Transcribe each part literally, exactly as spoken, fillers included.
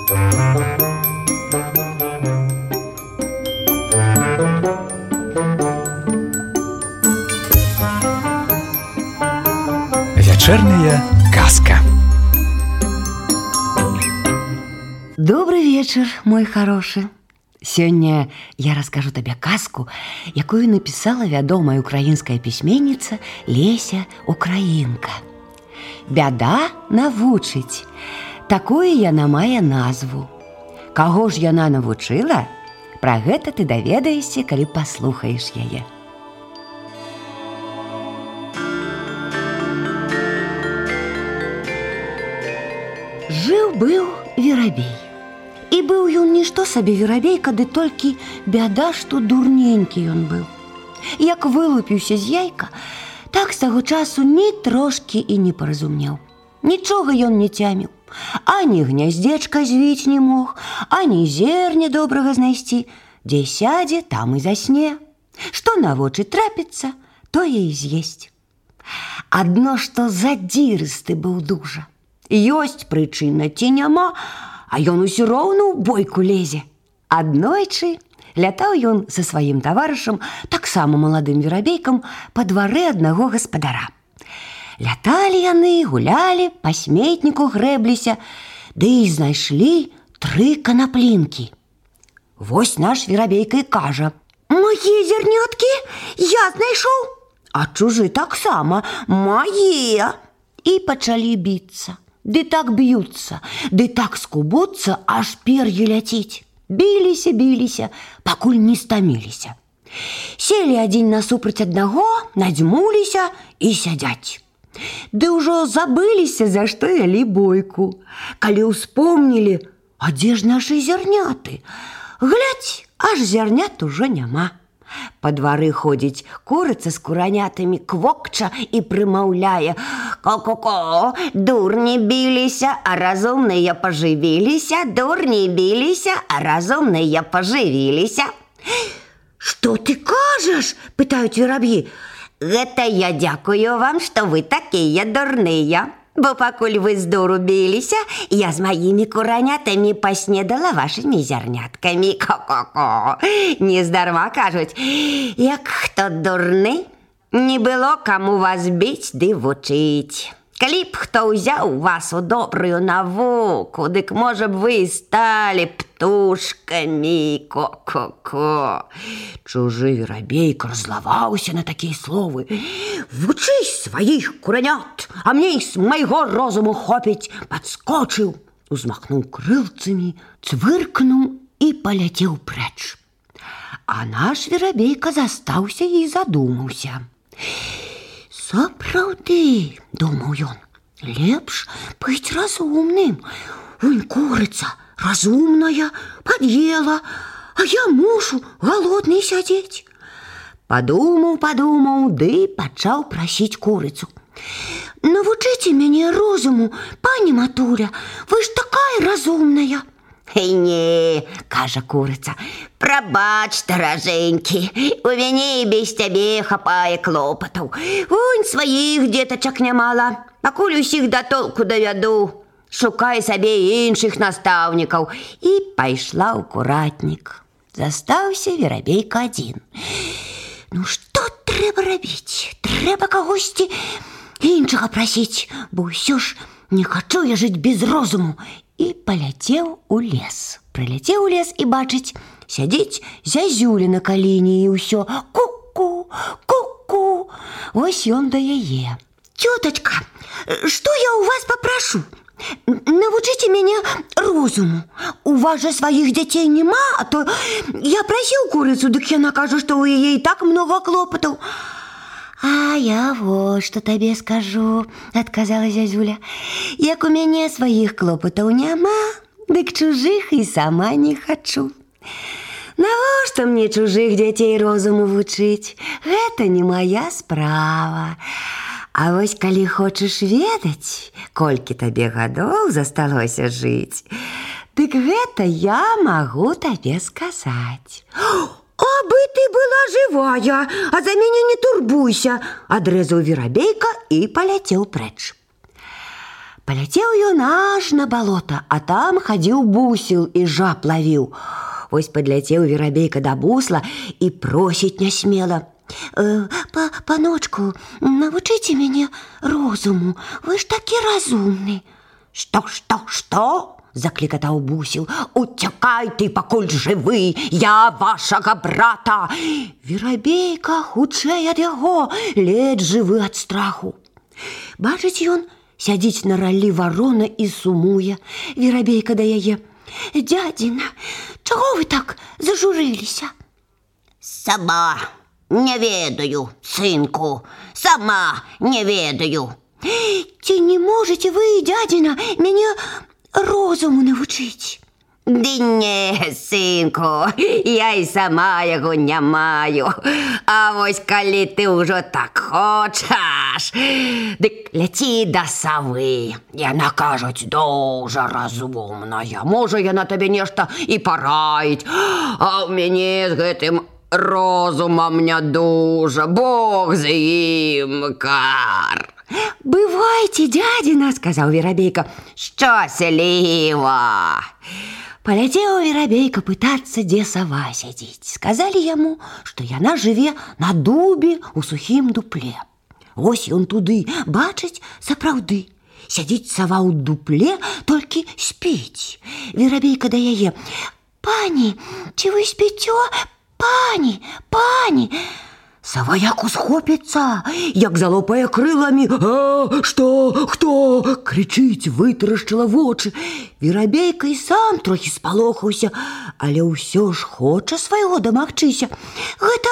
Вечерняя казка. Добрый вечер, мой хороший. Сёння я раскажу табе казку, якую напісала вядомая украінская пісьменніца Леся Украінка. Бяда навучыць. Такую яна мае назву. Каго ж яна навучыла? Пра гэта ты даведаешся, калі паслухаеш яе. Жыў-быў верабей. І быў ён нішто сабе верабейка, ды толькі бяда, што дурненькі ён быў. Як вылупіўся з яйка, так з таго часу ні трошкі і не паразумеў. Нічога ён не цяміў. Ані гняздзечка звіць не мог, ані зерня добрага знайсці. Дзе сядзе, там і засне. Што на вочы трапіцца, тое і з'есць. Адно што задзірысты быў дужа. Ёсць прычына ці няма, а ён усё роўна ў бойку лезе. Аднойчы лятаў ён са сваім таварышам, таксама маладым верабейкам, па двары аднаго гаспадара. Ляталі яны, гулялі, па сметніку грэбліся, ды і знайшлі тры канаплінкі. Вось наш верабейка і кажа: «Мае зярняткі я знайшоў, а чужы таксама мае». І пачалі біцца. Ды так б'юцца, ды так скубуцца, аж пер'е ляціць. Біліся, біліся, пакуль не стаміліся. Селі адзін насупраць аднаго, надзьмуліся і сядзяць. Ды ўжо забыліся, за што вялі бойку. Калі ўспомнілі, а дзе ж нашы зярняты? Глядзь, аж зярнят ужо няма. Па двары ходзіць курыца з куранятамі, квокча і прымаўляе: «Ко-ко-ко, дурні біліся, а разумныя пажывіліся, дурні біліся, а разумныя пажывіліся». «Што ты кажаш?» – пытаюць вераб'і. «Гэта я дзякую вам, што вы такія дурныя. Бо пакуль вы з дуру біліся, я з маімі куранятамі паснедала вашымі зярняткамі. Ко-ко-ко. Нездарма кажуць, як хто дурны, не было каму вас біць ды вучыць. Калі б хто ўзяў вас у добрую навуку, дык, можа б, вы сталі птушкамі. Ко-ко-ко». Чужы верабейка раззлаваўся на такія словы. «Вучысь сваіх куранят, а мне з майго розуму хопіць». Падскочыў, узмахнуў крылцамі, цвыркнуў і паляцеў прэч. А наш верабейка застаўся і задумаўся. «Сапраўды, — думаў ён, — лепш быць разумным. Вунь курыца разумная, пад'ела, а я мушу галодны сядзець». Падумаў, падумаў, ды пачаў прасіць курыцу: «Навучыце мяне розуму, пані матуля, вы ж такая разумная». «Эй, не, — кажа курыца, — прабач, даражэнькі, у мяне і без цябе хапае клопатаў. Вунь сваіх дзетачак нямала, пакуль усіх да толку давяду. Шукай сабе іншых настаўнікаў». І пайшла ў куратнік. Застаўся верабейка адзін. Ну што трэба рабіць? Трэба кагосьці іншага прасіць, бо ўсё ж не хачу я жыць без розуму. І паляцеў у лес. Прыляцеў у лес і бачыць, сядзіць зязюля на каліне і ўсё: «Ку-ку, ку-ку». Вось ён да яе: «Цётачка, што я ў вас папрашу? Навучыце мяне розуму. У вас жа сваіх дзяцей няма, а то я прасіў курыцу, дык яна кажа, што ў яе і так многа клопатаў». «А я вот што табе скажу, — адказала зязюля, — як у мяне сваіх клопатаў няма, дык чужых і сама не хачу. Навошта мне чужых дзяцей розуму вучыць? Гэта не мая справа. А вось калі хочаш ведаць, колькі табе гадоў засталося жыць, дык гэта я магу табе сказаць». «Абы ты была жывая, а за мяне не турбуйся», — адрэзаў верабейка і паляцеў прэч. Паляцеў ён аж на балота, а там хадзіў бусел і жаб лавіў. Вось падляцеў верабейка да бусла і просіць нясмела: э, па, паночку, навучыце мяне розуму, вы ж такі разумны. Што, што, што? Заклікатаў бусел. Уцякай ты, пакуль жывы, я вашага брата. Верабейка хутчэй ад яго, ледзь жывы ад страху. Бачыць ён, сядзіць на раллі варона і сумуе. Верабейка да яе: дзядзіна, чаго вы так зажурыліся? Сама не ведаю, сынку, сама не ведаю. Ці не можете вы, дзядзіна, мяне розуму навучыць? Ды не, сынку, я і сама яго не маю. А вось калі ты ўжо так хочаш, дык ляці да савы. Яна, кажуць, дужа разумная. Можа, яна табе нешта і параіць. А ў мяне з гэтым розумам не дужа. Бог з ім, кар. Бывайце, дзядзіна, сказаў верабейка. Шчасліва. Паляцеў верабейка пытацца, дзе сава сядзіць. Сказалі яму, што яна жыве на дубе ў сухім дупле. Вось ён туды, бачыць, сапраўды. Сядзіць сава ў дупле, толькі спіць. Верабейка да яе: пані, ці вы спіцё? Пані, пані. Сава як усхопіцца, як залопае крыламі. А, што, хто? Крычыць, вытарашчыла вочы. Верабейка і сам трохі спалохаўся, але ўсё ж хоча свайго дамагчыся. Гэта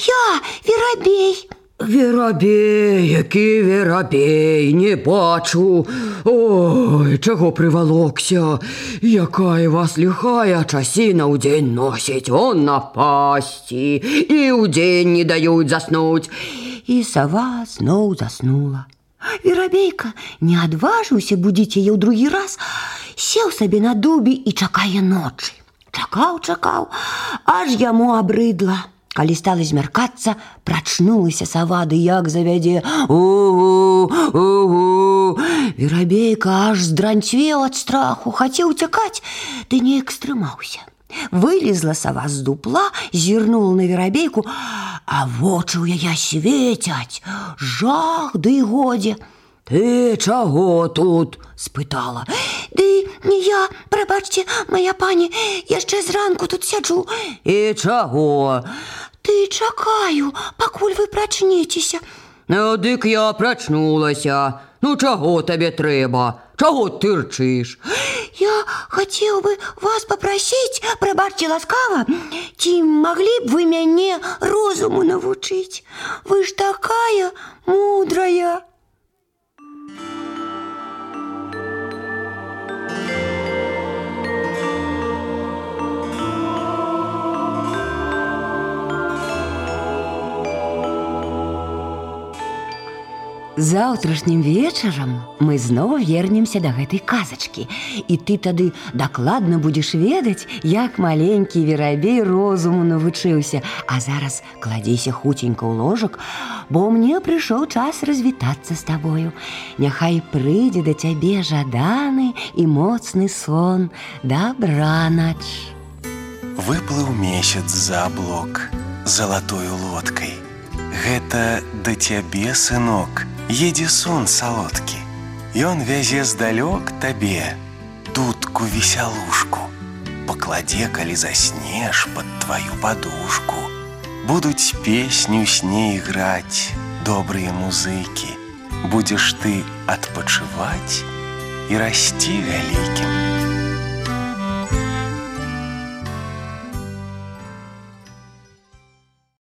я, верабей. Верабей, які верабей, не бачу. Ой, чаго прывалокся? Якая вас ліхая часіна ўдзень носіць, он напасці, і ўдзень не даюць заснуць. І сава зноў заснула. Верабейка не адважыўся будзіць яе ў другі раз, сеў сабе на дубе і чакае ночы. Чакаў, чакаў, аж яму абрыдла. Калі стала змяркацца, прачнулася сава, ды як завядзе: у-у, у-у. Верабейка аж здранцвеў ад страху, хацеў уцякаць, ды неяк стрымаўся. Вылезла сава з дупла, зірнула на верабейку, а вочы ў яе свецяць. Жах, ды годзе. Ты чаго тут? Спытала. Ды не я, прабачце, мая пані, яшчэ зранку тут сяджу. І чаго? Ты чакаю, пакуль вы прачнецеся. Ну, дык я прачнулася. Ну, чаго табе трэба? Чаго ты рчыш? Я хацеў бы вас папрасіць, прабачце ласкава, ці маглі б вы мяне розуму навучыць? Вы ж такая мудрая. Заўтрашнім вечарам мы зноў вернемся да гэтай казачкі, і ты тады дакладна будзеш ведаць, як маленькі верабей розуму навучыўся. А зараз кладзіся хуценька ў ложак, бо мне прыйшоў час развітацца з табою. Няхай прыйдзе да цябе жаданы і моцны сон. Дабранач. Выплыў месяц за аблок залатою лодкай. Гэта да цябе, сынок, едзе сон салодкі. Ён вязе здалёк табе дудку весялушку. Пакладзе, калі заснеш, пад тваю падушку. Будуць песню с ней іграць добрыя музыкі. Будзеш ты адпачываць і расці вялікім.